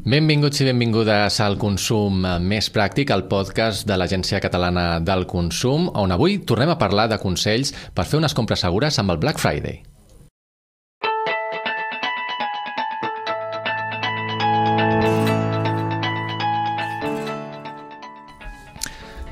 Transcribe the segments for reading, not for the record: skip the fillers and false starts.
Benvinguts i benvingudes al Consum Més Pràctic, el podcast de l'Agència Catalana del Consum, on avui tornem a parlar de consells per fer unes compres segures amb el Black Friday.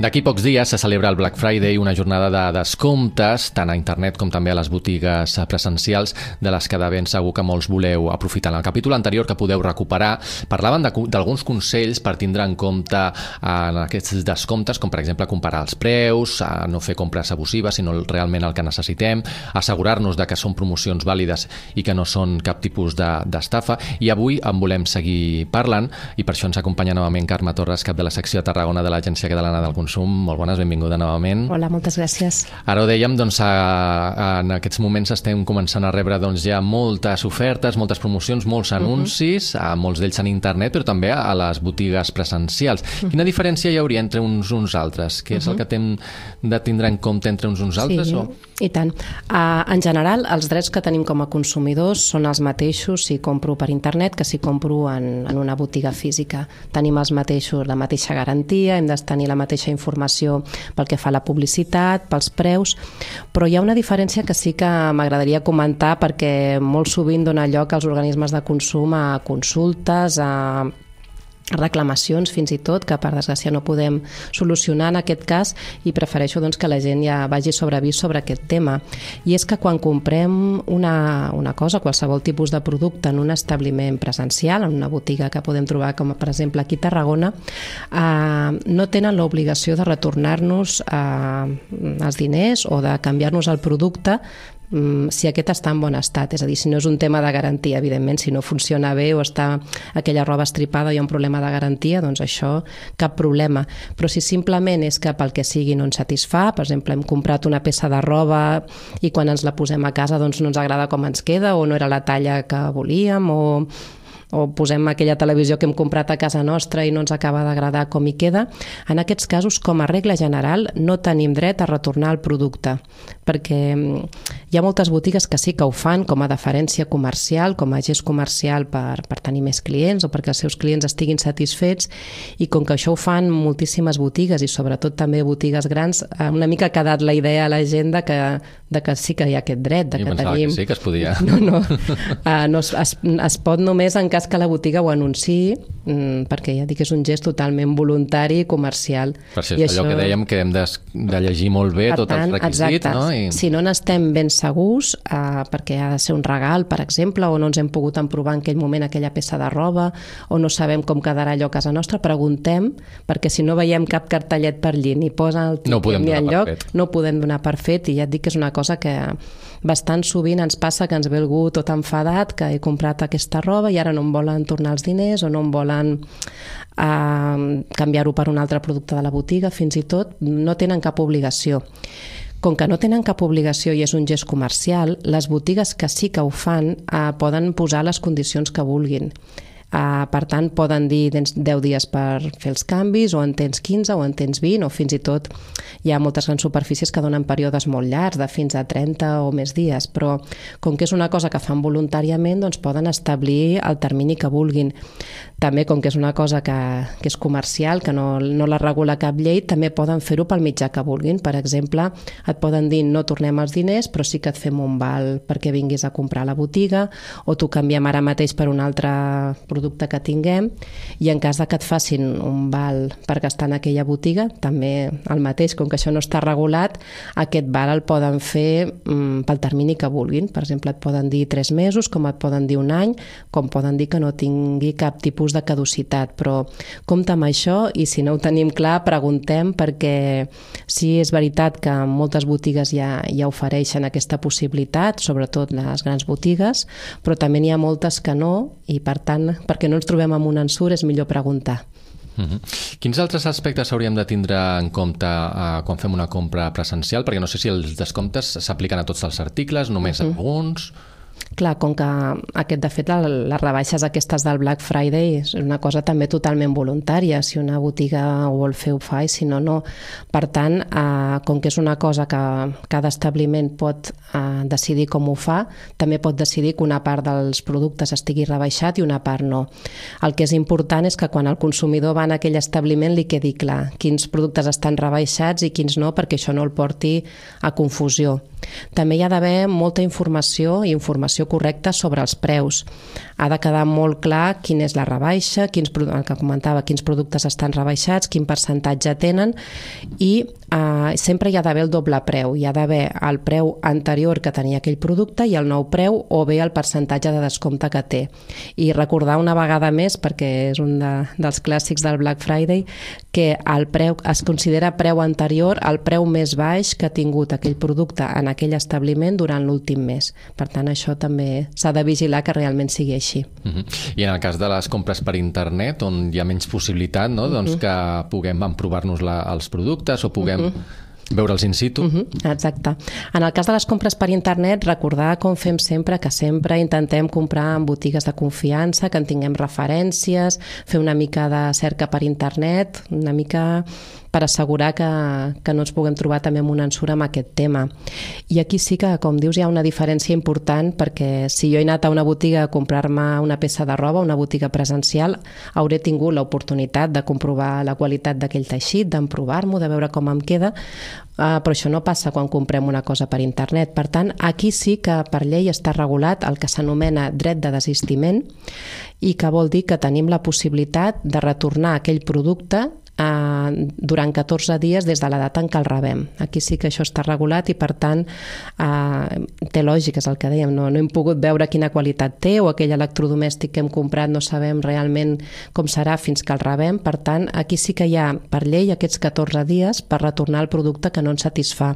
D'aquí pocs dies se celebra el Black Friday, una jornada de descomptes, tant a internet com també a les botigues presencials, de les que de ben segur que molts voleu aprofitar. En el capítol anterior, que podeu recuperar, parlaven d'alguns consells per tindre en compte en aquests descomptes, com per exemple comparar els preus, no fer compres abusives, sinó realment el que necessitem, assegurar-nos de que són promocions vàlides i que no són cap tipus d'estafa. I avui en volem seguir parlant, i per això ens acompanya novament Carme Torres, cap de la secció de Tarragona de l'Agència Catalana del Consum. Molt bones, benvinguda novament. Hola, moltes gràcies. Ara ho dèiem, doncs, en aquests moments estem començant a rebre ja moltes ofertes, moltes promocions, molts anuncis, molts d'ells en internet, però també a les botigues presencials. Quina diferència hi hauria entre uns altres? Què és el que hem de tindre en compte entre uns altres? Sí, i tant. En general, els drets que tenim com a consumidors són els mateixos si compro per internet que si compro en una botiga física. Tenim la mateixa garantia, hem de tenir la mateixa informació pel que fa a la publicitat, pels preus, però hi ha una diferència que sí que m'agradaria comentar perquè molt sovint dona lloc als organismes de consum a consultes, a reclamacions fins i tot, que per desgràcia no podem solucionar en aquest cas, i prefereixo doncs, que la gent ja vagi sobre avís sobre aquest tema. I és que quan comprem una cosa, qualsevol tipus de producte en un establiment presencial, en una botiga que podem trobar com per exemple aquí a Tarragona, no tenen l'obligació de retornar-nos els diners o de canviar-nos el producte si aquest està en bon estat, és a dir, si no és un tema de garantia, evidentment, si no funciona bé o està aquella roba estripada i hi ha un problema de garantia, doncs això cap problema, però si simplement és que pel que sigui no ens satisfà, per exemple hem comprat una peça de roba i quan ens la posem a casa doncs no ens agrada com ens queda o no era la talla que volíem o posem aquella televisió que hem comprat a casa nostra i no ens acaba d'agradar com hi queda, en aquests casos, com a regla general, no tenim dret a retornar el producte, perquè hi ha moltes botigues que sí que ho fan com a deferència comercial, com a gest comercial per tenir més clients o perquè els seus clients estiguin satisfets, i com que això ho fan moltíssimes botigues i sobretot també botigues grans, una mica ha quedat la idea a la gent de que sí que hi ha aquest dret. Jo pensava que sí, que es podia. No, es pot només en cas que la botiga ho anunciï, perquè ja dic que és un gest totalment voluntari i comercial. Per això és allò que dèiem, que hem de llegir molt bé tots els requisits. Exacte. No? Si no n'estem ben segurs, perquè ha de ser un regal, per exemple, o no ens hem pogut emprovar en aquell moment aquella peça de roba, o no sabem com quedarà allò a casa nostra, preguntem, perquè si no veiem cap cartellet per allí, ni posa el tiquet ni enlloc, no ho podem donar per fet, i ja et dic que és una cosa que bastant sovint ens passa, que ens ve algú tot enfadat, que he comprat aquesta roba i ara no em volen tornar els diners o no em volen canviar-ho per un altre producte de la botiga, fins i tot no tenen cap obligació. Com que no tenen cap obligació i és un gest comercial, les botigues que sí que ho fan poden posar les condicions que vulguin. Per tant, poden dir tens 10 dies per fer els canvis, o en tens 15, o en tens 20, o fins i tot hi ha moltes grans superfícies que donen períodes molt llargs, de fins a 30 o més dies, però com que és una cosa que fan voluntàriament, doncs poden establir el termini que vulguin. També, com que és una cosa que és comercial, que no la regula cap llei, també poden fer-ho pel mitjà que vulguin. Per exemple, et poden dir no tornem els diners, però sí que et fem un val perquè vinguis a comprar a la botiga, o t'ho canviem ara mateix per un altre producte que tinguem, i en cas de que et facin un val per gastar en aquella botiga, també el mateix, com que això no està regulat, aquest val el poden fer pel termini que vulguin. Per exemple, et poden dir 3 mesos, com et poden dir un any, com poden dir que no tingui cap tipus de caducitat, però compte amb això, i si no ho tenim clar, preguntem, perquè sí és veritat que moltes botigues ja ofereixen aquesta possibilitat, sobretot les grans botigues, però també n'hi ha moltes que no, i per tant, perquè no ens trobem amb un ensurt, és millor preguntar. Quins altres aspectes hauríem de tindre en compte quan fem una compra presencial? Perquè no sé si els descomptes s'apliquen a tots els articles, només a alguns. Clar, com que de fet, les rebaixes aquestes del Black Friday és una cosa també totalment voluntària. Si una botiga ho vol fer, ho fa, i si no, no. Per tant, com que és una cosa que cada establiment pot decidir com ho fa, també pot decidir que una part dels productes estigui rebaixat i una part no. El que és important és que quan el consumidor va en aquell establiment li quedi clar quins productes estan rebaixats i quins no, perquè això no el porti a confusió. També hi ha d'haver molta informació i informació correcta sobre els preus. Ha de quedar molt clar quina és la rebaixa, el que comentava, quins productes estan rebaixats, quin percentatge tenen, i sempre hi ha d'haver el doble preu. Hi ha d'haver el preu anterior que tenia aquell producte i el nou preu, o bé el percentatge de descompte que té. I recordar una vegada més, perquè és un dels clàssics del Black Friday, que el preu es considera preu anterior al preu més baix que ha tingut aquell producte en aquell establiment durant l'últim mes. Per tant, això també s'ha de vigilar que realment sigui així. I en el cas de les compres per internet, on hi ha menys possibilitat, no? Doncs que puguem emprovar-nos els productes o puguem veure'ls in situ. Exacte. En el cas de les compres per internet, recordar, com fem sempre, que sempre intentem comprar en botigues de confiança, que en tinguem referències, fer una mica de cerca per internet, una mica per assegurar que no ens puguem trobar també amb una ensura amb aquest tema. I aquí sí que, com dius, hi ha una diferència important, perquè si jo he anat a una botiga a comprar-me una peça de roba, una botiga presencial, hauré tingut l'oportunitat de comprovar la qualitat d'aquell teixit, d'emprovar-m'ho, de veure com em queda, però això no passa quan comprem una cosa per internet. Per tant, aquí sí que per llei està regulat el que s'anomena dret de desistiment, i que vol dir que tenim la possibilitat de retornar aquell producte durant 14 dies des de la data en què el rebem. Aquí sí que això està regulat i, per tant, té lògica, és el que dèiem, no hem pogut veure quina qualitat té, o aquell electrodomèstic que hem comprat no sabem realment com serà fins que el rebem. Per tant, aquí sí que hi ha per llei aquests 14 dies per retornar el producte que no ens satisfà.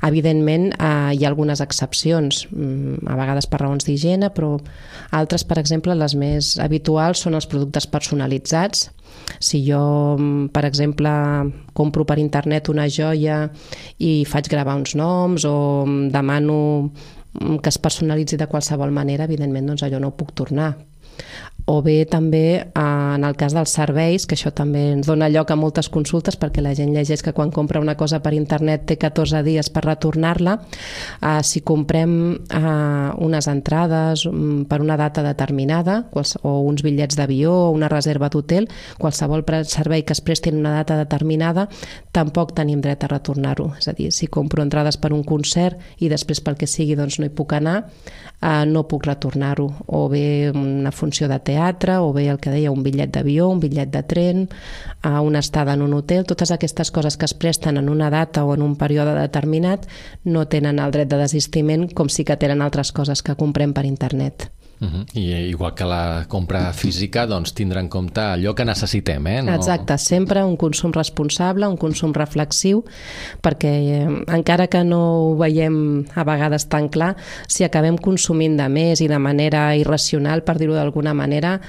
Evidentment, hi ha algunes excepcions, a vegades per raons d'higiene, però altres, per exemple, les més habituals són els productes personalitzats. Si jo, per exemple, compro per internet una joia i faig gravar uns noms, o demano que es personalitzi de qualsevol manera, evidentment, doncs allò no ho puc tornar. O bé també en el cas dels serveis, que això també ens dona lloc a moltes consultes, perquè la gent llegeix que quan compra una cosa per internet té 14 dies per retornar-la. Si comprem unes entrades per una data determinada, o uns bitllets d'avió o una reserva d'hotel, qualsevol servei que es presti en una data determinada, tampoc tenim dret a retornar-ho. És a dir, si compro entrades per un concert i després pel que sigui doncs no hi puc anar, no puc retornar-ho. O bé una funció de teatre, o bé el que deia, un bitllet d'avió, un bitllet de tren, una estada en un hotel. Totes aquestes coses que es presten en una data o en un període determinat no tenen el dret de desistiment, com sí que tenen altres coses que comprem per internet. I igual que la compra física, doncs tindre en compte allò que necessitem, No... Exacte, sempre un consum responsable, un consum reflexiu, perquè encara que no ho veiem a vegades tan clar, si acabem consumint de més i de manera irracional, per dir-ho d'alguna manera,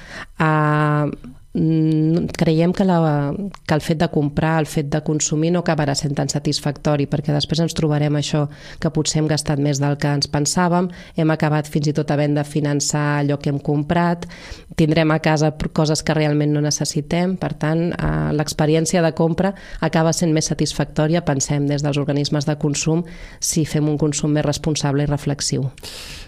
creiem que el fet de comprar, el fet de consumir no acabarà sent tan satisfactori, perquè després ens trobarem això, que potser hem gastat més del que ens pensàvem, hem acabat fins i tot havent de finançar allò que hem comprat, tindrem a casa coses que realment no necessitem. Per tant, l'experiència de compra acaba sent més satisfactòria, pensem des dels organismes de consum, si fem un consum més responsable i reflexiu.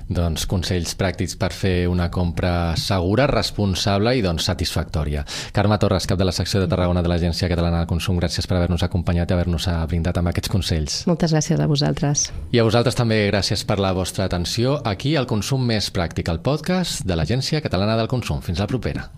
Doncs consells pràctics per fer una compra segura, responsable i doncs satisfactòria. Carme Torres, cap de la secció de Tarragona de l'Agència Catalana del Consum, gràcies per haver-nos acompanyat i haver-nos brindat amb aquests consells. Moltes gràcies a vosaltres. I a vosaltres també gràcies per la vostra atenció aquí al Consum Més Pràctic, el podcast de l'Agència Catalana del Consum. Fins la propera.